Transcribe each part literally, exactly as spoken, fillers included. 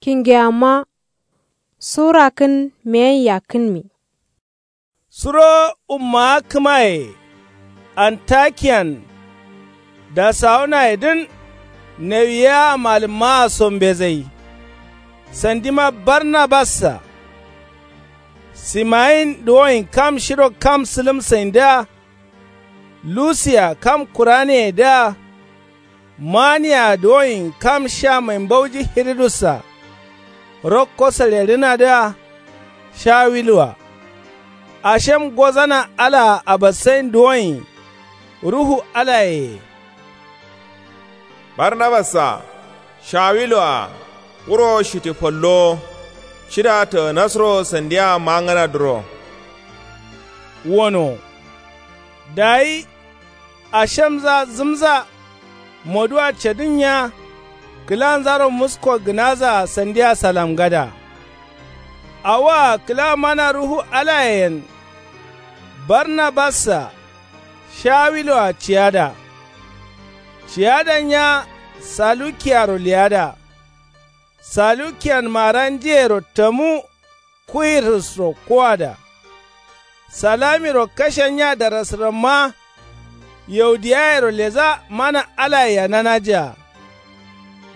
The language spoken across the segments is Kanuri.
Kingeyamma sura kǝn meyen yakkǝnmi. Suro ummawa kǝmaye antakiyan dasawunayedǝn. Nawiya malǝmmawa so mbezai sandima barnabassa simayin duwoyin kam shiro kam sǝlǝm saindǝa lusiya kam kuraneyedǝa maniya duwoyin kam sha mai mbauji hiridussa rokko salerǝnadǝa shawiluwa ashem gozana alaa abassain duwoyin ruhu alayeye. Barnabassa shawiluwa wuro shiti followo cida tǝgǝnasro sandiya mangǝnadǝro wono. Dayi ashemza zǝmza moduwa cedǝnnya kǝlanzaro musko gǝnazaa sandiya salamgada. Awoa kǝla mana ruhu alayeyen barnabassa shawiloa ciyada. Ciyadannya salukiyaro leyada. Salukiyan maranjiyero tamu kuwirǝsro kowada. Salamiro kashennya darasǝramma yaudiyayero leza mana alaye yananajea.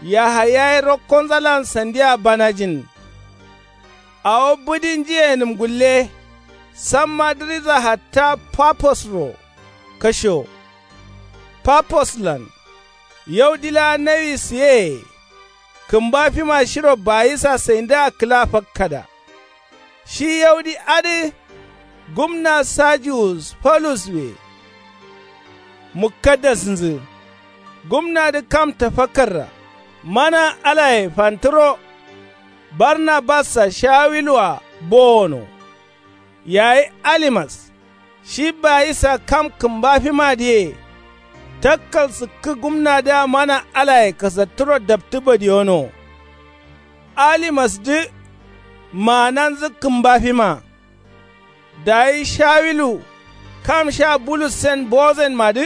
Yahaya ye rokkonzalan sandiya banajin. Awo bǝdinjiyenǝm gulle samma dǝriza hatta paposro kashewo. Paposlan yaudi laa nawi sǝyeye kǝmba fima shiro bayisa saindǝa kǝla fakkada. Shi yaudi adǝ gumna sajiwus folus we. Mukkadasnzǝ gumnadǝ kam tafakkarra mana alaye fantǝro. Barnabassa shawiluwa bowono. Yayi alimas shi bayisa kam kǝmba fimadǝye takkal sǝkkǝ gumnadǝa mana alaye kasattǝro daptǝ badiyono. Alimasdǝ maananzǝ kǝmba fima. Dayi shawilu kam sha bulussen bozenmadǝ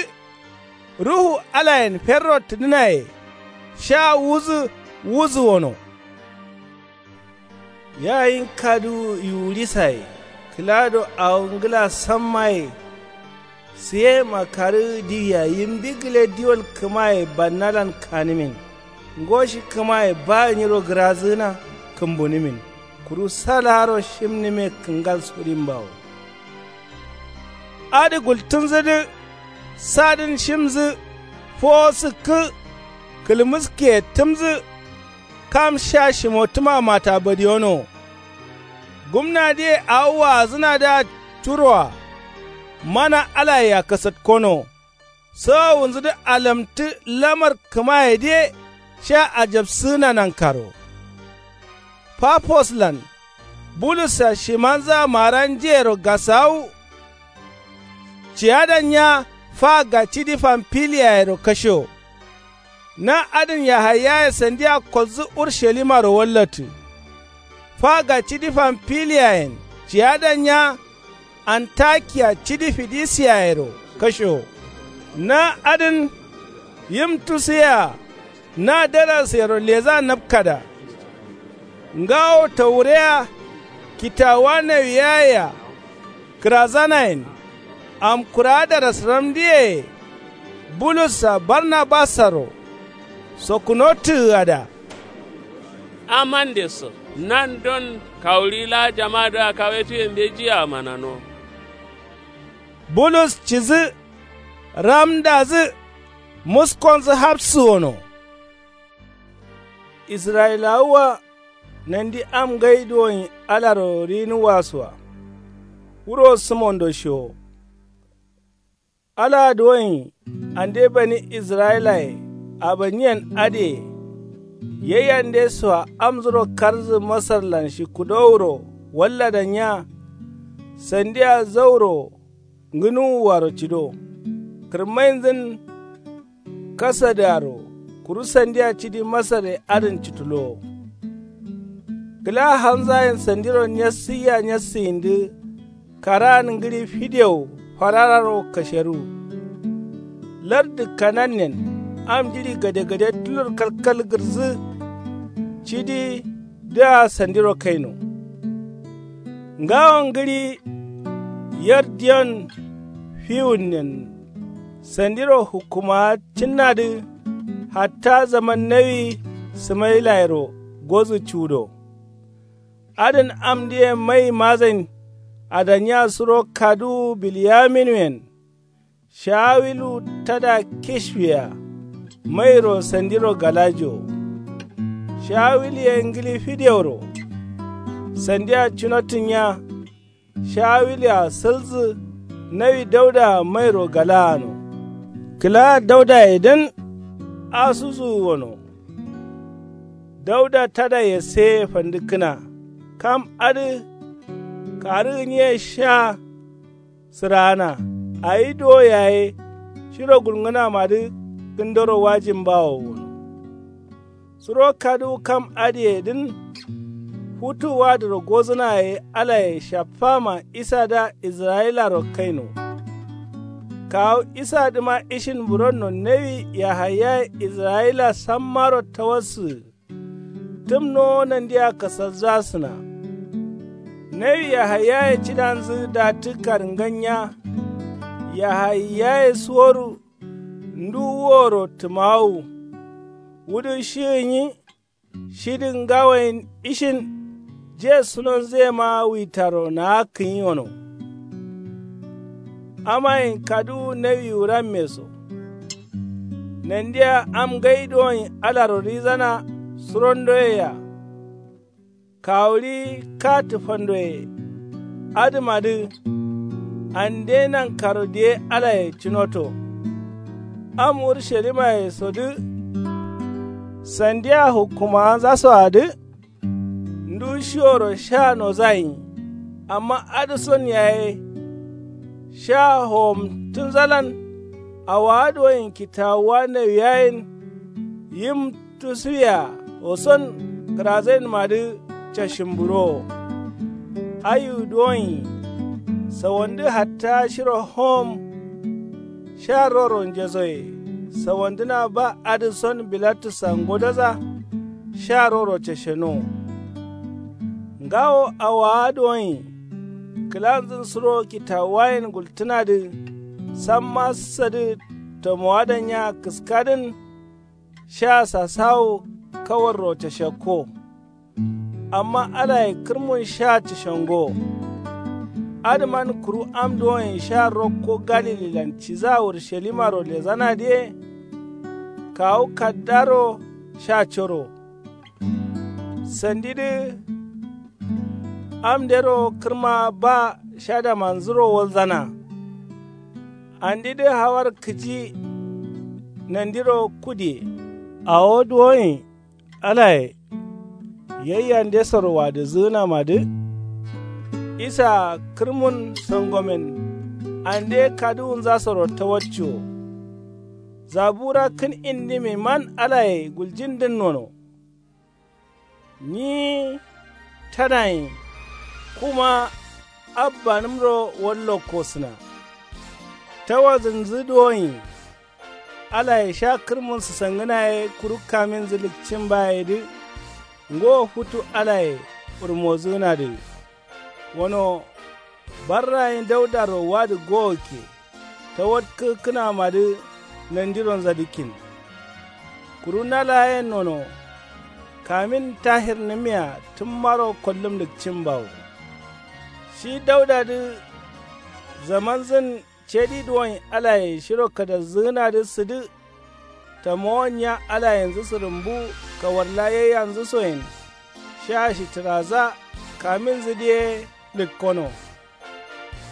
ruhu alayen ferro tǝdǝnaye sha wuzǝ wuzǝ wono. Yayin kaduwu yiwurisaye kǝlado awo ngǝla sammaye. Sǝye makarǝ diwia yimbi gǝle diwol kǝmaye bannalan kanǝmin. Ngo shi kǝmaye ba nyiro gǝrazǝgǝna kǝmbunǝmin kuru salaaro shimnǝme kǝngal sudimbawo. Adǝ gultǝnzǝdǝ sadǝn shimzǝ fowo sǝkkǝ kǝlmǝskiye tǝmzǝ. Kam sha shimotǝma mata badiyono. Gumnadǝye awo waazǝnadǝa curoa mana alayea kasatkono. Sawawunzǝdǝ alamtǝ lamar kǝmayedǝye sha ajabsǝgǝna nankaro. Paposlan bulussa shimanzǝa maranjiyero gasawu. Ciyadannya fa gacidi famfiliyayero kashewo. Na adǝn yahayaye sandiya kolzǝ urushalimaro wallatǝ. Fa gacidi famfiliyayen ciyadannya antakiya cidi fidisiyayero kashewo. Na adǝn yimtusǝyea na darasǝyero leza napkada. Ngawo tawureya kitawuwa nawiyayea kǝrazanayen. Amkurawa darasǝramdǝye bulussa barnabassaro sokkunotǝgǝgada. Amande so nandon kawuri laa jamadǝa kawetuye mbejiye amanano. Bulus cidǝ ramdadǝ muskonzǝ hapsǝ wono. Israyilawa nandi am ngai duwoin alaro rinuwwa soa. Wuro sǝmondo shewo. Alaa duwoin ande bani israyilaye abanyiyen adǝye yaiyande soa amzuro karǝzǝ masarlan shikkudowuro walladannya. Sandia zauro ngǝnuwuaro cido. Kǝrmainzǝn kasadǝaro kuru sandia cidi masare adǝn citulowo. Kǝla hanzayen sandiro nyassǝyiya nyassǝyindǝ karaan ngǝɍi fidewo farararo kasheruwu. Lardǝ kanannen am jiɍi gadegade tulur kalkal gǝrǝsǝ cidi. dǝa sandiro kaino. Ngawo ngǝɍi yar diyon fiwunnen sandiro hukkumawa cǝnnadǝ. Hatta zaman nawi sǝmailayero gozu cudo. Adǝn amdǝye mai mazain adaniya suro kaduwu bilyaminuyen. Shawilu tada kishwiya mairo sandiro galajo. Shawiluye ngǝli fideoro sandiya cunottǝnya. Shawilu-a salzǝ nawi dauda mairo galaano. Kǝla daudaye dǝn asuzuwu wono. Dauda tada yesse fandǝkkǝna. Kam adǝ karǝ gǝnye sha sǝraana. Awi duwo yaye shiro gulngǝnamadǝ kǝndoro wajimbawo wono. Suro kaduwu kam adǝyedǝn futu wadǝro gozǝna ye alaye shaffama isadǝa israyilaro kaino. Kawu isadǝma ishin buronno nawi yahayaye israyila sammaro tawassǝgǝ. Tǝmnowo nandiya kasazzasǝna. Nawi yahayaye cidanzǝ datǝ karǝnganya. Yahayaye suworu ndu wuro tǝmawu. Wudǝ shi gǝnyi shidǝ ngawoyen ishin. Je sunonzǝyema witaro naakkǝnyi wono. Amayen kaduwu nawi wuramme so. Nandiya am ngai duwonyi alaro rizana surondoyea. Kawuɍi ka tǝfandoye adǝmadǝ. Ande nankaro diye alaye cunoto. Am urushalimmayesodǝ sandiya hukkumawanzasoadǝ. Ndu shiworo sha nozayin. Amma adǝson yaye sha howomtǝnzalan. Awowa duwonyi kitawuwa nawiyayen yim tusuwiya woson kǝrazainmadǝ cashimbǝrowo. Ayu duwonyi sawandǝ hatta shiro howom. Sha roro njesoye sawandǝna ba adǝson bilatusa ngodoza. Sha roro cashenowo. Ngawo awowa duwonyi kǝlanzǝn suro kitawuwayen gultǝnadǝ. Samma sadǝ tamowadanya kǝskadǝn. Sha sasawu kawarro cashekko. Amma alaye kǝrmun sha cashengo. Adǝman kuru am duwonyi sha rokko galililan ciza urushalimaro lezanadǝye. Kawu kaddaro sha coro. Sandidǝ amdero kǝrma ba shadamanzuro walzana. Andidǝ hawar kǝji nandiro kudiye. Awo duwonyi alaye yaiyandesoro wadǝzǝgǝnamadǝ. Isa-a kǝrmun songomen ande kaduwunzasoro tawacciwo. Zabura kǝn indimiman alaye guljindǝn nono. Nyi tadayin kuma abbanǝmro wallokkosǝna. Tawazǝnzǝ duwonyi alaye sha kǝrmun sǝsangǝna ye kuru kaminzǝ lǝkcin bayedǝ. Ngo futu alaye wurmozǝgǝnadǝ. Wano barrayin daudaro wadǝ gowokke tawatkǝgǝkkǝnamadǝ. Nandironza dǝkkin kuru na laa yen nono. Kamin tahirnǝmiya tǝmmaro kollǝm lǝkcin bawo. Shi daudadǝ zamanzǝn cedi duwonyi alaye shiro kadazzǝgǝnadǝ sǝdǝ. Tamowon nya alayenzǝ sǝrǝmbu kawarla yaiyanzǝsoyen. Sha shitǝraza kaminzǝdǝ ye lǝkkono.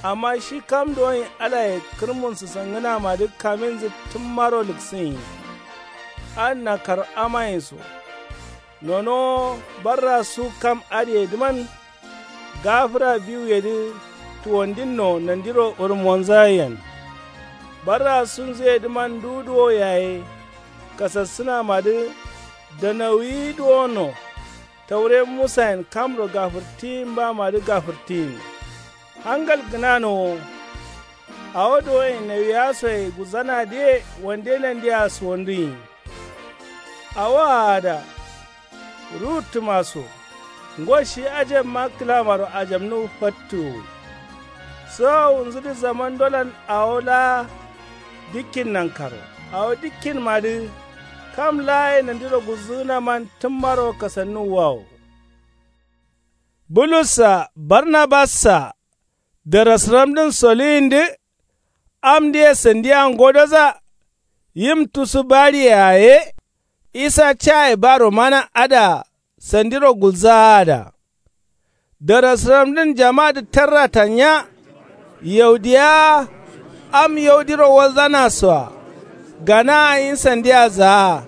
Amma shi kam duwonyi alaye kǝrmun sǝsangǝnamadǝ kaminzǝ tǝmmaro lǝksǝnyi. Adǝ nakaro amayen so. Nonowo barra su kam adǝyedǝman gafǝra biwuyedǝ tuwandinno nandiro wurmonzayen. Barra sunzuyedǝman nduduwo yaye kasassǝnamadǝ danauwi duwono. Taure musayen kamro gafǝrtiyin bamadǝ gafǝrtiyin. Hangal gǝnanowo. Awo duwoyen nawiya soye gulzanadǝye wande nandea suwandunyi. Awo aada ruwuttǝma so. Ngo shi ajabma kǝlamaro ajabnu fattuwu. Sowowunzudǝ zamandolan awo laa dikkin nankaro. Awo dikkinmadǝ kam laaye nandiro gulzǝgǝnaman tǝmmaro kasannuwwawo. Bulussa barnabassa darasǝramdǝn soluyindǝ. Amdǝye sandiya ngodoza. Yim tusu bariye yaye. Isa caye baro mana adǝa sandiro gulzaada. Darasǝramdǝn jamadǝ tarrata nya. Yaudiya am yaudiro walzanasoa. Ganaa nyi sandiya zaa.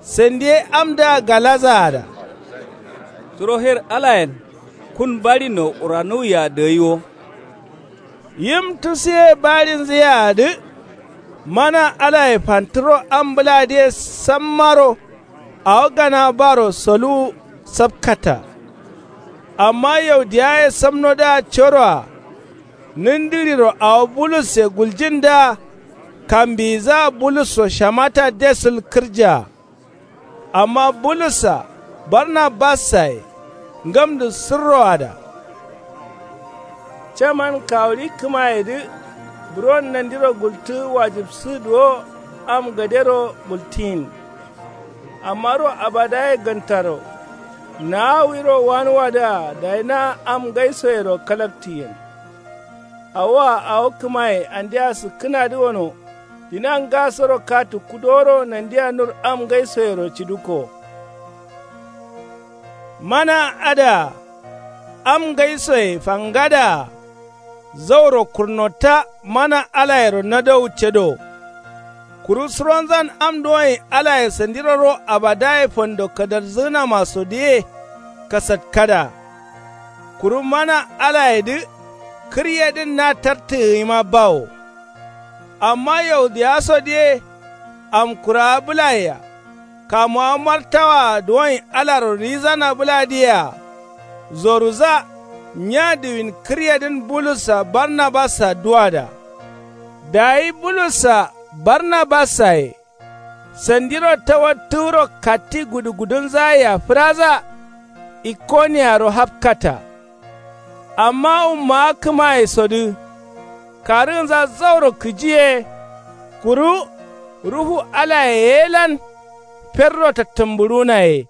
Sandiye amdǝa galazaada. Suro her alayen kun barinno uranuwwiya dǝgai wo. Yim tusuye barinzǝyeadǝ. Mana alaye fantǝro am bǝladǝye sammaro. Awo gana baro soluwu sapkata. Amma yaudiyaye samnodǝa coroa. Nǝndǝriro awo bulusse guljindǝa. Kambiyizǝa bulusso shamata desul kǝrjea. Amma bulussa barnabassaye ngamdǝ sǝrroada. Caman kawuri kǝmayedǝ buron nandiro gultǝ wajibsǝ duwo am gadero gultiyin. Amma ro abadaye gantaro naawiro wanuwadǝa dayi na am ngaisoyero kalaktiyen. Awoa awo kǝmaye andea sǝkkǝnadǝ wono. Dina ngasoro katu kudoro nandia nur am ngaisoyero ciduko. Mana adǝa am ngaisoye fangadǝa. Zauro kurnotta mana alayero nadowu cedo. Kuru suronzan am duwonyi alaye sandiro ro abadaye fando kadardzǝgǝnamasodǝye kasatkada. Kuru mana alayedǝ kǝryedǝn na tartǝgǝ yima bawo. Amma yaudiyasodǝye amkurawa bǝlayea. Kamuwa martawaa duwonyi alaro rizana bǝladǝyea. Zoruza nya diwin kǝryedǝn bulussa barnabassa duwada. Dayi bulussa barnabassaye sandiro tawattǝgǝro katti gudugudunzayea fǝraza. Ikoniyaro hapkata. Amma ummawa kǝmayesodǝ karǝgǝnza zauro kǝji ye. Kuru ruhu alaye ye lan ferro tattǝmbǝrunaye.